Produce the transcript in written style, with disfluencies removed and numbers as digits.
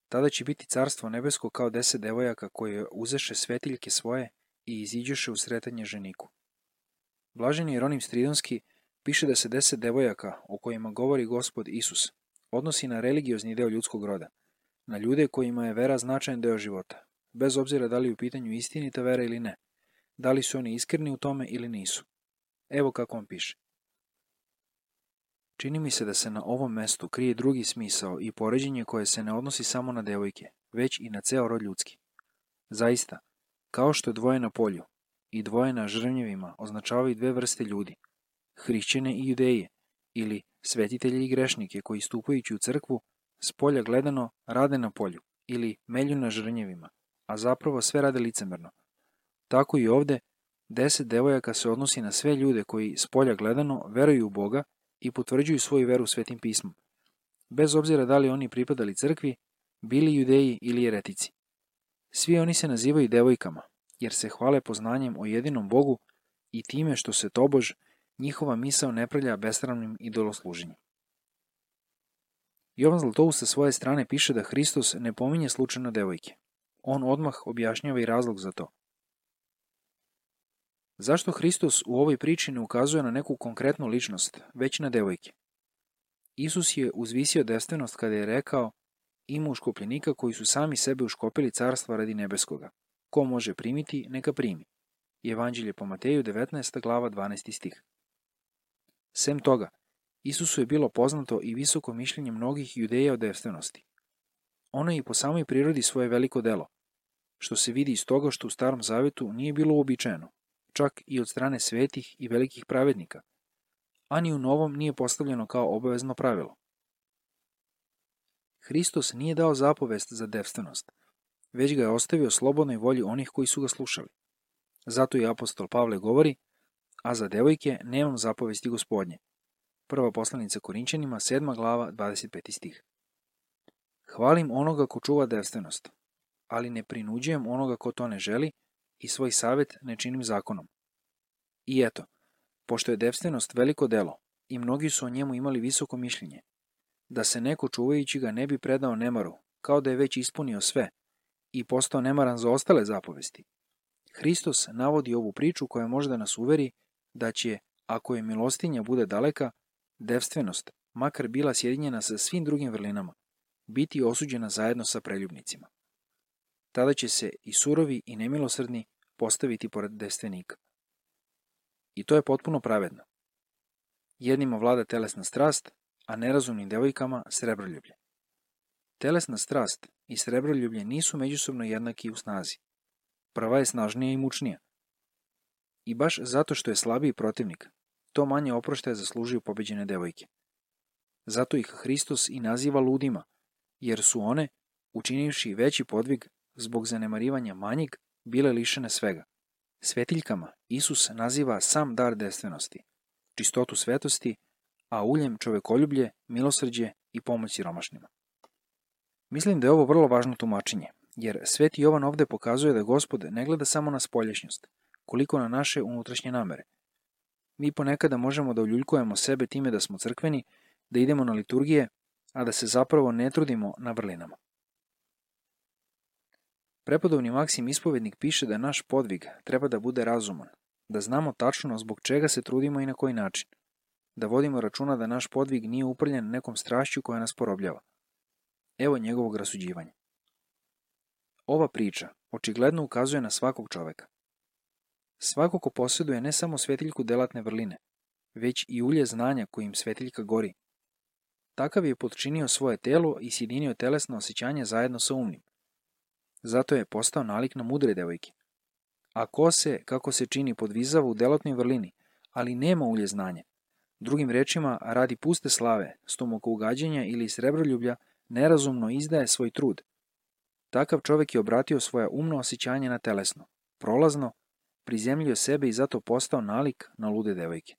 Tada će biti carstvo nebesko kao 10 devojaka koje uzeše svetiljke svoje i iziđeše u sretanje ženiku. Blaženi Jeronim Stridonski piše da se 10 devojaka, o kojima govori Gospod Isus, odnosi na religiozni deo ljudskog roda, na ljude kojima je vera značajan deo života, bez obzira da li je u pitanju istinita vera ili ne, da li su oni iskreni u tome ili nisu. Evo kako on piše. Čini mi se da se na ovom mestu krije drugi smisao i poređenje koje se ne odnosi samo na devojke, već i na ceo rod ljudski. Zaista, kao što dvoje na polju i dvoje na žrvnjevima označavaju dve vrste ljudi, hrišćane i judeje, ili svetitelje i grešnike koji stupajući u crkvu, s polja gledano rade na polju ili melju na žrvnjevima, a zapravo sve rade licemerno. Tako i ovde, 10 devojaka se odnosi na sve ljude koji s polja gledano veruju u Boga i potvrđuju svoju veru Svetim pismom, bez obzira da li oni pripadali crkvi, bili judeji ili jeretici. Svi oni se nazivaju devojkama, jer se hvale poznanjem o jedinom Bogu i time što se tobož njihova misao ne prelja besramnim idolosluženjem. Jovan Zlatoust sa svoje strane piše da Hristos ne pominje slučajno devojke. On odmah objašnjava i razlog za to. Zašto Hristos u ovoj priči ne ukazuje na neku konkretnu ličnost, već na devojke? Isus je uzvisio devstvenost kada je rekao: ima uškopljenika koji su sami sebe uškopili carstva radi nebeskoga. Ko može primiti, neka primi. Evanđelje po Mateju 19. glava 12. stih. Sem toga, Isusu je bilo poznato i visoko mišljenje mnogih judeja o devstvenosti. Ono je i po samoj prirodi svoje veliko delo, što se vidi iz toga što u Starom Zavetu nije bilo uobičajeno, čak i od strane svetih i velikih pravednika, a ni u Novom nije postavljeno kao obavezno pravilo. Hristos nije dao zapovest za devstvenost, već ga je ostavio slobodnoj volji onih koji su ga slušali. Zato i apostol Pavle govori: a za devojke nemam zapovesti Gospodnje. Prva poslanica Korinćanima, 7. glava, 25. stih. Hvalim onoga ko čuva devstvenost, ali ne prinuđujem onoga ko to ne želi i svoj savet ne činim zakonom. I eto, pošto je devstvenost veliko delo i mnogi su o njemu imali visoko mišljenje, da se neko čuvajući ga ne bi predao nemaru, kao da je već ispunio sve i postao nemaran za ostale zapovesti, Hristos navodi ovu priču koja može da nas uveri da će, ako je milostinja bude daleka, devstvenost, makar bila sjedinjena sa svim drugim vrlinama, biti osuđena zajedno sa preljubnicima. Tada će se i surovi i nemilosrdni postaviti pored devstvenika. I to je potpuno pravedno. Jednima vlada telesna strast, a nerazumnim devojkama srebroljublje. Telesna strast i srebroljublje nisu međusobno jednaki u snazi. Prva je snažnija i mučnija. I baš zato što je slabiji protivnik, to manje oproštaja zaslužuju pobeđene devojke. Zato ih Hristos i naziva ludima, jer su one, učinivši veći podvig zbog zanemarivanja manjeg, bile lišene svega. Svetiljkama Isus naziva sam dar devstvenosti, čistotu svetosti, a uljem čovekoljublje, milosrđe i pomoć siromašnima. Mislim da je ovo vrlo važno tumačenje, jer Sveti Jovan ovde pokazuje da Gospod ne gleda samo na spoljašnjost, koliko na naše unutrašnje namere. Mi ponekada možemo da uljuljkujemo sebe time da smo crkveni, da idemo na liturgije, a da se zapravo ne trudimo na vrlinama. Prepodobni Maksim Ispovednik piše da naš podvig treba da bude razuman, da znamo tačno zbog čega se trudimo i na koji način, da vodimo računa da naš podvig nije uprljen nekom strašću koja nas porobljava. Evo njegovog rasuđivanja. Ova priča očigledno ukazuje na svakog čoveka. Svako ko posjeduje ne samo svetiljku delatne vrline, već i ulje znanja kojim svetiljka gori. Takav je potčinio svoje telo i sjedinio telesno osjećanje zajedno sa umnim. Zato je postao nalik na mudre devojke. A ko se, kako se čini, podvizava u delatnoj vrlini, ali nema ulje znanja, drugim rečima, radi puste slave, stomokougađenja ili srebroljublja, nerazumno izdaje svoj trud. Takav čovek je obratio svoja umno osjećanje na telesno, prolazno, prizemljio sebe i zato postao nalik na lude devojke.